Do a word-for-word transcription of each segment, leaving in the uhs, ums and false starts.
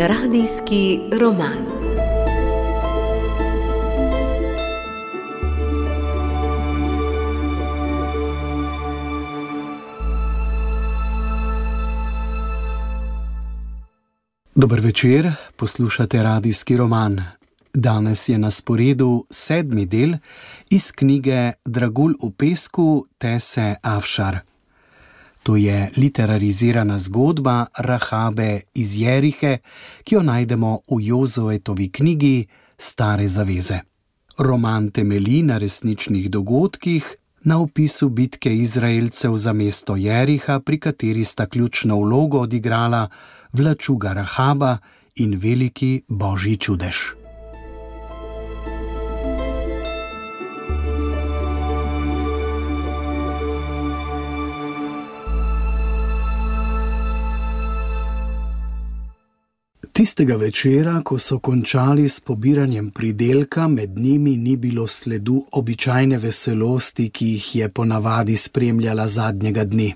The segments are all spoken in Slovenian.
Radijski roman. Dober večer, poslušate radijski roman. Danes je na sporedu sedmi del iz knjige Dragulj v pesku Tese Afšar. To je literarizirana zgodba Rahabe iz Jerihe, ki jo najdemo v Jozuetovi knjigi Stare zaveze. Roman temelji na resničnih dogodkih, na opisu bitke Izraelcev za mesto Jeriha, pri kateri sta ključno vlogo odigrala vlačuga Rahaba in veliki božji čudež. Tistega večera, ko so končali s pobiranjem pridelka, med njimi ni bilo sledu običajne veselosti, ki jih je ponavadi spremljala zadnjega dne.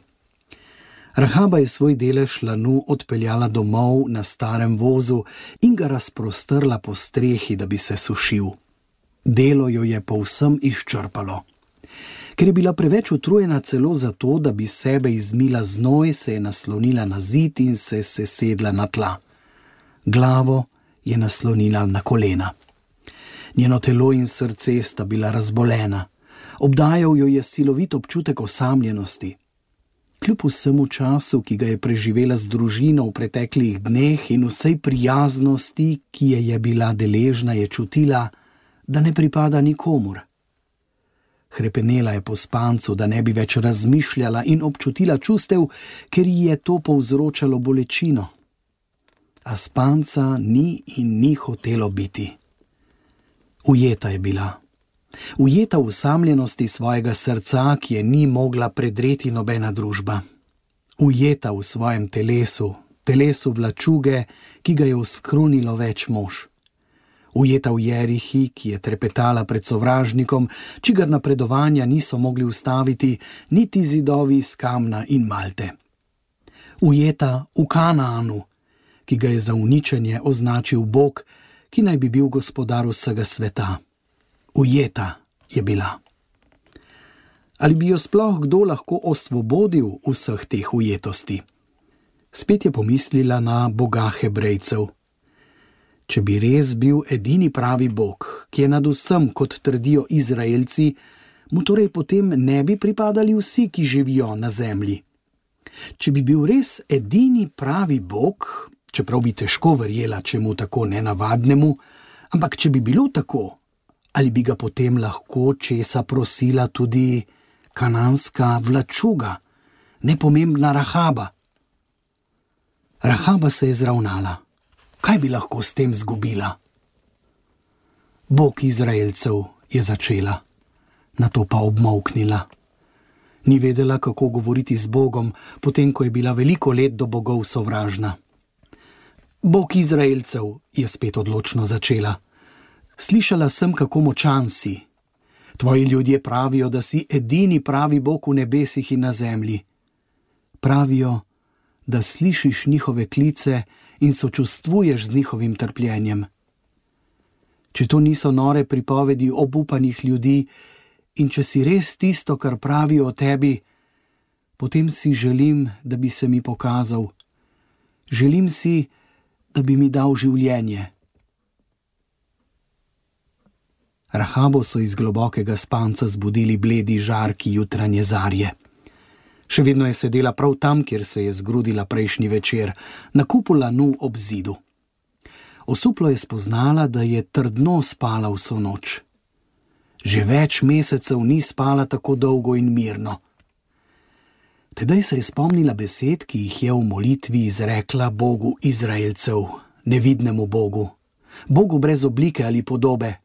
Rahaba je svoj delež lanu odpeljala domov na starem vozu in ga razprostrla po strehi, da bi se sušil. Delo jo je povsem izčrpalo. Ker je bila preveč utrujena celo zato, da bi sebe izmila znoj, se je naslonila na zid in se sesedla na tla. Glavo je naslonila na kolena. Njeno telo in srce sta bila razbolena. Obdajal jo je silovit občutek osamljenosti. Kljub vsemu času, ki ga je preživela z družino v preteklih dneh in vsej prijaznosti, ki je je bila deležna, je čutila, da ne pripada nikomur. Hrepenela je po spancu, da ne bi več razmišljala in občutila čustev, ker ji je to povzročalo bolečino. A spanca ni in ni hotelo biti. Ujeta je bila. Ujeta v osamljenosti svojega srca, ki je ni mogla predreti nobena družba. Ujeta v svojem telesu, telesu vlačuge, ki ga je oskrunilo več mož. Ujeta v Jerihi, ki je trepetala pred sovražnikom, čigar napredovanja niso mogli ustaviti niti zidovi iz kamna in malte. Ujeta v Kanaanu, ki ga je za uničenje označil Bog, ki naj bi bil gospodar vsega sveta. Ujeta je bila. Ali bi jo sploh kdo lahko osvobodil vseh teh ujetosti? Spet je pomislila na Boga Hebrejcev. Če bi res bil edini pravi Bog, ki je nad vsem, kot trdijo Izraelci, mu torej potem ne bi pripadali vsi, ki živijo na zemlji. Če bi bil res edini pravi Bog, čeprav bi težko verjela čemu tako nenavadnemu, ampak če bi bilo tako, ali bi ga potem lahko česa prosila tudi kananska vlačuga, nepomembna Rahaba? Rahaba se je zravnala. Kaj bi lahko s tem zgubila? Bog Izraelcev je začela, nato pa obmolknila. Ni vedela, kako govoriti z Bogom, potem ko je bila veliko let do bogov sovražna. Bog Izraelcev, je spet odločno začela. Slišala sem, kako močan si. Tvoji ljudje pravijo, da si edini pravi Bog v nebesih in na zemlji. Pravijo, da slišiš njihove klice in sočustvuješ z njihovim trpljenjem. Če to niso nore pripovedi obupanih ljudi in če si res tisto, kar pravijo o tebi, potem si želim, da bi se mi pokazal. Želim si, da bi mi dal življenje. Rahabo so iz globokega spanca zbudili bledi žarki jutranje zarje. Še vedno je sedela prav tam, kjer se je zgrudila prejšnji večer, na kupu lanu ob zidu. Osuplo je spoznala, da je trdno spala vso noč. Že več mesecev ni spala tako dolgo in mirno. Tedaj se je spomnila besed, ki jih je v molitvi izrekla Bogu Izraelcev, nevidnemu Bogu, Bogu brez oblike ali podobe,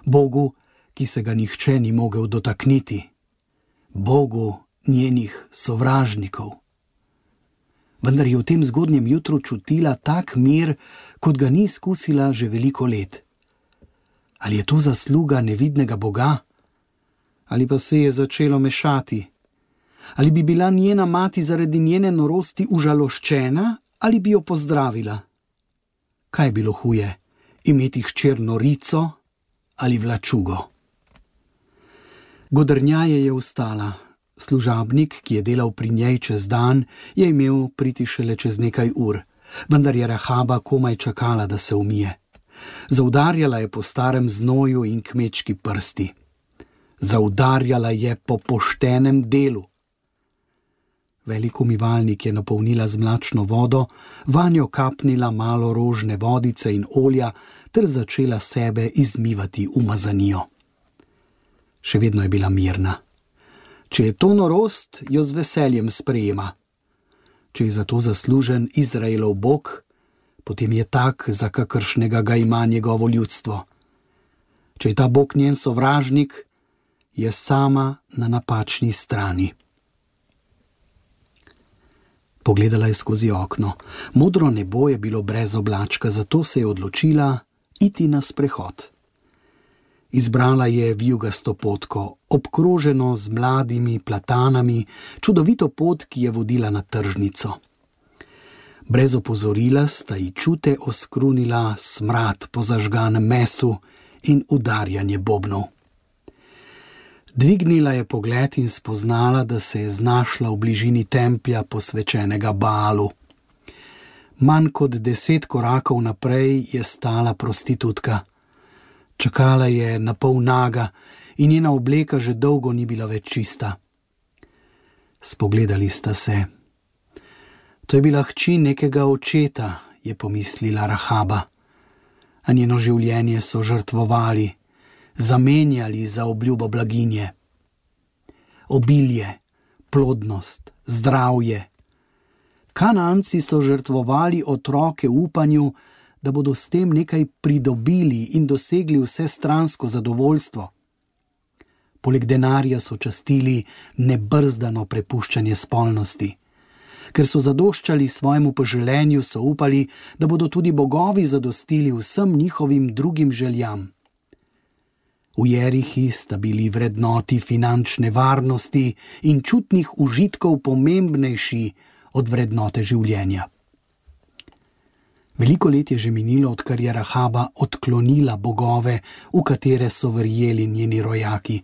Bogu, ki se ga nihče ni mogel dotakniti, Bogu njenih sovražnikov. Vendar je v tem zgodnjem jutru čutila tak mir, kot ga ni izkusila že veliko let. Ali je to zasluga nevidnega Boga? Ali pa se je začelo mešati? Ali bi bila njena mati zaradi njene norosti užaloščena ali bi jo pozdravila? Kaj je bilo huje, imeti hčer norico ali vlačugo? Godrnjaje je vstala. Služabnik, ki je delal pri njej čez dan, je imel priti šele čez nekaj ur, vendar je Rahaba komaj čakala, da se umije. Zaudarjala je po starem znoju in kmečki prsti. Zaudarjala je po poštenem delu. Velik umivalnik je napolnila z mlačno vodo, vanjo kapnila malo rožne vodice in olja ter začela sebe izmivati umazanijo. Še vedno je bila mirna. Če je to norost, jo z veseljem sprejema. Če je za to zaslužen Izraelov Bog, potem je tak, za kakršnega ga ima njegovo ljudstvo. Če je ta Bog njen sovražnik, je sama na napačni strani. Pogledala je skozi okno. Modro nebo je bilo brez oblačka, zato se je odločila iti na sprehod. Izbrala je vijugasto potko, obkroženo z mladimi platanami, čudovito pot, ki je vodila na tržnico. Brez opozorila sta ji čute oskrunila smrad po zažganem mesu in udarjanje bobnov. Dvignila je pogled in spoznala, da se je znašla v bližini templja posvečenega Baalu. Manj kot deset korakov naprej je stala prostitutka. Čakala je na pol naga in njena obleka že dolgo ni bila več čista. Spogledali sta se. To je bila hči nekega očeta, je pomislila Rahaba, a njeno življenje so žrtvovali, zamenjali za obljubo blaginje. Obilje, plodnost, zdravje. Kanaanci so žrtvovali otroke v upanju, da bodo s tem nekaj pridobili in dosegli vsestransko zadovoljstvo. Poleg denarja so častili nebrzdano prepuščanje spolnosti. Ker so zadoščali svojemu poželenju, so upali, da bodo tudi bogovi zadostili vsem njihovim drugim željam. V Jerihi sta bili vrednoti finančne varnosti in čutnih užitkov pomembnejši od vrednote življenja. Veliko let je že minilo, odkar je Rahaba odklonila bogove, v katere so verjeli njeni rojaki.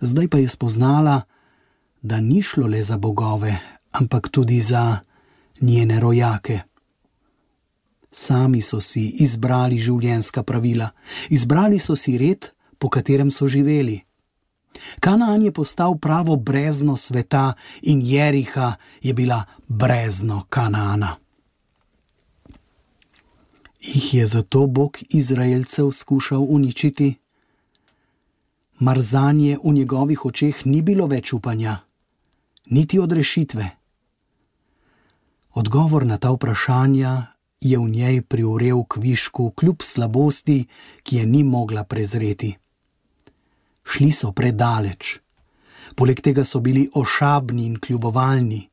Zdaj pa je spoznala, da ni šlo le za bogove, ampak tudi za njene rojake. Sami so si izbrali življenjska pravila, izbrali so si red, po katerem so živeli. Kanaan je postal pravo brezno sveta in Jeriha je bila brezno Kanaana. Jih je zato Bog Izraelcev skušal uničiti? Mar zanje v njegovih očeh ni bilo več upanja, niti odrešitve? Odgovor na ta vprašanja je v njej privrel k višku kljub slabosti, ki je ni mogla prezreti. Šli so predaleč. Poleg tega so bili ošabni in kljubovalni.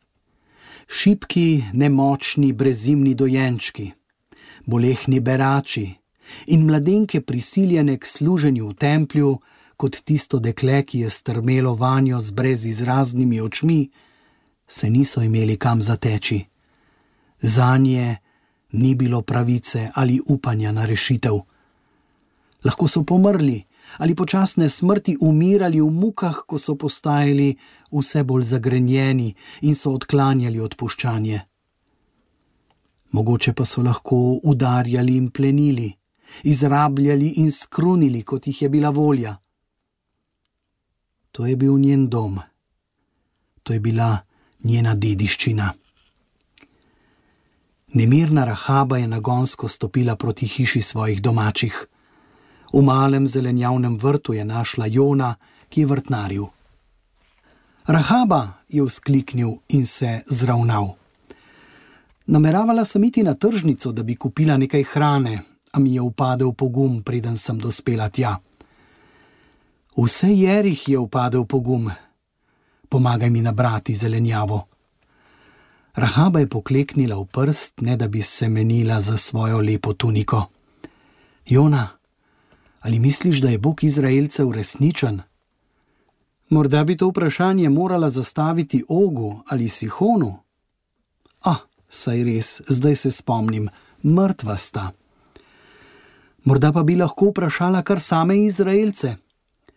Šibki, nemočni, brezimni dojenčki, bolehni berači in mladenke prisiljene k služenju v templju, kot tisto dekle, ki je strmelo vanjo z brezizraznimi očmi, se niso imeli kam zateči. Zanje ni bilo pravice ali upanja na rešitev. Lahko so pomrli ali počasne smrti umirali v mukah, ko so postajali vse bolj zagrenjeni in so odklanjali odpuščanje. Mogoče pa so lahko udarjali in plenili, izrabljali in skrunili, kot jih je bila volja. To je bil njen dom. To je bila njena dediščina. Nemirna Rahaba je nagonsko stopila proti hiši svojih domačih. V malem zelenjavnem vrtu je našla Jona, ki je vrtnaril. Rahaba, je vzkliknil in se zravnal. Nameravala sem iti na tržnico, da bi kupila nekaj hrane, a mi je upadel pogum, preden sem dospela tja. Vse Jerih je upadel pogum. Pomagaj mi nabrati zelenjavo. Rahaba je pokleknila v prst, ne da bi se menila za svojo lepo tuniko. Jona, ali misliš, da je Bog Izraelcev resničen? Morda bi to vprašanje morala zastaviti Ogu ali Sihonu? Ah, saj res, zdaj se spomnim, mrtva sta. Morda pa bi lahko vprašala kar same Izraelce.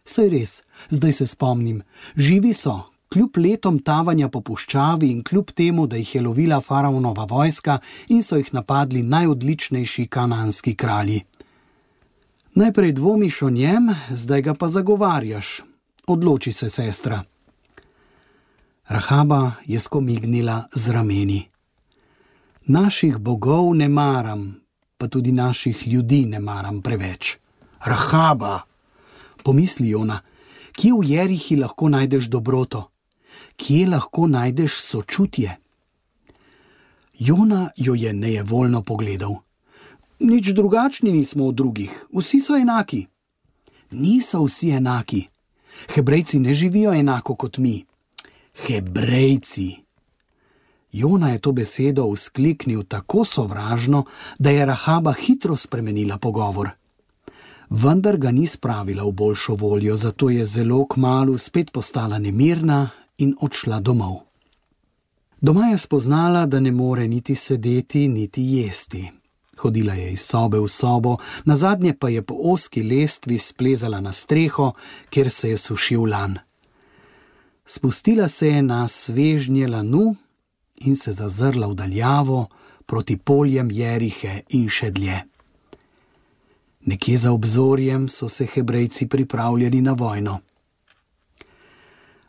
Saj res, zdaj se spomnim, živi so, kljub letom tavanja po puščavi in kljub temu, da jih je lovila faraonova vojska in so jih napadli najodličnejši kanaanski kralji. Najprej dvomiš o njem, zdaj ga pa zagovarjaš. Odloči se, sestra. Rahaba je skomignila z rameni. Naših bogov ne maram, pa tudi naših ljudi ne maram preveč. Rahaba, pomisli Jona, kje v Jerihi lahko najdeš dobroto? Kje lahko najdeš sočutje? Jona jo je nejevoljno pogledal. Nič drugačni nismo od drugih, vsi so enaki. Niso vsi enaki. Hebrejci ne živijo enako kot mi. Hebrejci. Jona je to besedo vzkliknil tako sovražno, da je Rahaba hitro spremenila pogovor. Vendar ga ni spravila v boljšo voljo, zato je zelo kmalu spet postala nemirna in odšla domov. Doma je spoznala, da ne more niti sedeti, niti jesti. Hodila je iz sobe v sobo, nazadnje pa je po ozki lestvi splezala na streho, kjer se je sušil lan. Spustila se je na svežnje lanu in se zazrla v daljavo proti poljem Jerihe in še dlje. Nekje za obzorjem so se Hebrejci pripravljali na vojno.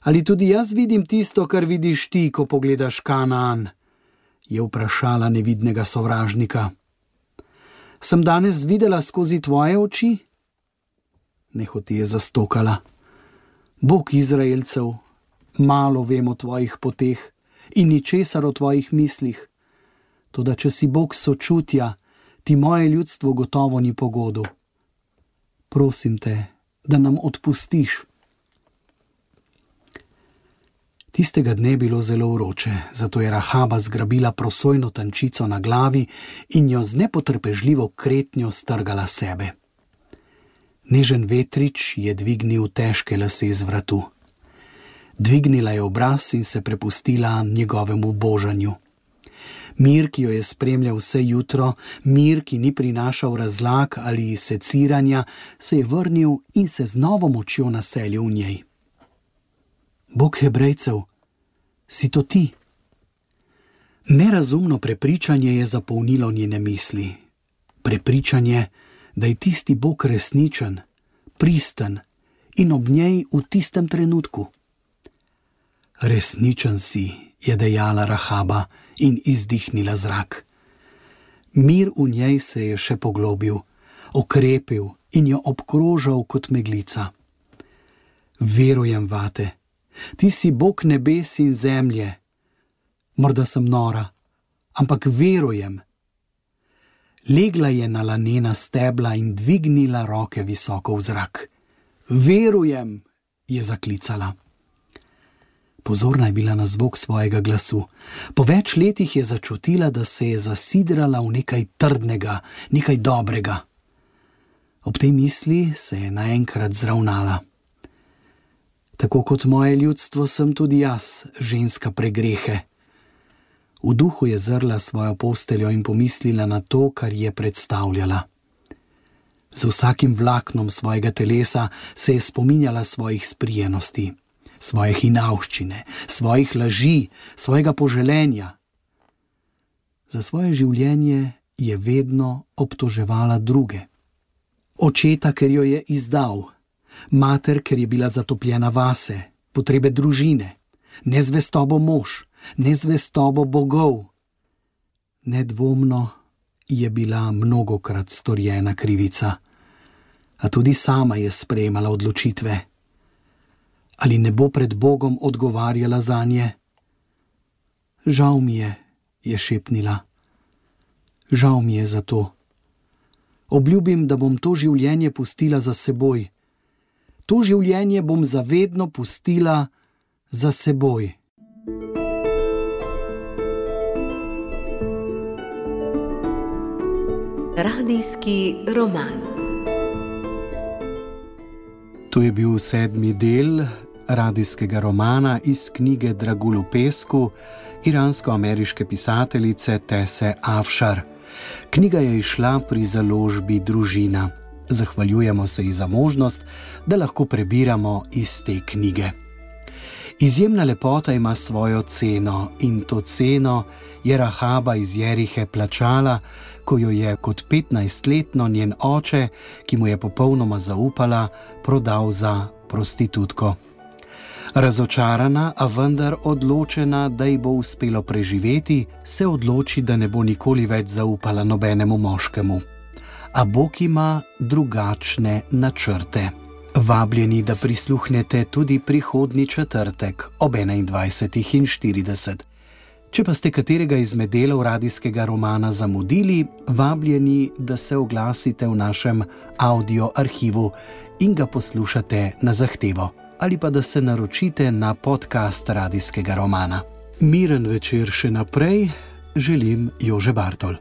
Ali tudi jaz vidim tisto, kar vidiš ti, ko pogledaš Kanaan? Je vprašala nevidnega sovražnika. Sem danes videla skozi tvoje oči? Nehote je zastokala. Bog Izraelcev, malo vem o tvojih poteh in ničesar o tvojih mislih. Toda če si Bog sočutja, ti moje ljudstvo gotovo ni pogodu. Prosim te, da nam odpustiš. Tistega dne je bilo zelo vroče, zato je Rahaba zgrabila prosojno tančico na glavi in jo z nepotrpežljivo kretnjo strgala sebe. Nežen vetrič je dvignil težke lase z vratu. Dvignila je obraz in se prepustila njegovemu božanju. Mir, ki jo je spremljal vse jutro, mir, ki ni prinašal razlag ali seciranja, se je vrnil in se z novo močjo naselil v njej. Bog Hebrejcev, si to ti? Nerazumno prepričanje je zapolnilo njene misli. Prepričanje, da je tisti Bog resničen, pristen in ob njej v tistem trenutku. Resničen si, je dejala Rahaba in izdihnila zrak. Mir v njej se je še poglobil, okrepil in jo obkrožal kot meglica. Verujem vate. Ti si Bog nebes in zemlje. Morda sem nora, ampak verujem. Legla je na lanena stebla in dvignila roke visoko v zrak. Verujem, je zaklicala. Pozorna je bila na zvok svojega glasu. Po več letih je začutila, da se je zasidrala v nekaj trdnega, nekaj dobrega. Ob tej misli se je naenkrat zravnala. Tako kot moje ljudstvo sem tudi jaz, ženska pregrehe. V duhu je zrla svojo posteljo in pomislila na to, kar je predstavljala. Z vsakim vlaknom svojega telesa se je spominjala svojih sprijenosti, svoje hinavščine, svojih laži, svojega poželenja. Za svoje življenje je vedno obtoževala druge. Očeta, ker jo je izdal, mater, ker je bila zatopljena vase, potrebe družine, nezvestobo mož, nezvestobo bogov. Nedvomno je bila mnogokrat storjena krivica, a tudi sama je sprejemala odločitve. Ali ne bo pred Bogom odgovarjala zanje? Žal mi je, je šepnila. Žal mi je za to. Obljubim, da bom to življenje pustila za seboj. To življenje bom zavedno pustila za seboj. Radijski roman. To je bil sedmi del radijskega romana iz knjige Dragul v pesku iransko-ameriške pisateljice Tese Afšar. Knjiga je izšla pri založbi Družina. Zahvaljujemo se ji za možnost, da lahko prebiramo iz te knjige. Izjemna lepota ima svojo ceno in to ceno je Rahaba iz Jerihe plačala, ko jo je kot petnajstletno njen oče, ki mu je popolnoma zaupala, prodal za prostitutko. Razočarana, a vendar odločena, da ji bo uspelo preživeti, se odloči, da ne bo nikoli več zaupala nobenemu moškemu. A Bog ima drugačne načrte. Vabljeni, da prisluhnete tudi prihodnji četrtek ob enaindvajsetih in štirideset. Če pa ste katerega izmed delov radijskega romana zamudili, vabljeni, da se oglasite v našem audio arhivu in ga poslušate na zahtevo, ali pa da se naročite na podcast radijskega romana. Miren večer še naprej želim Jože Bartol.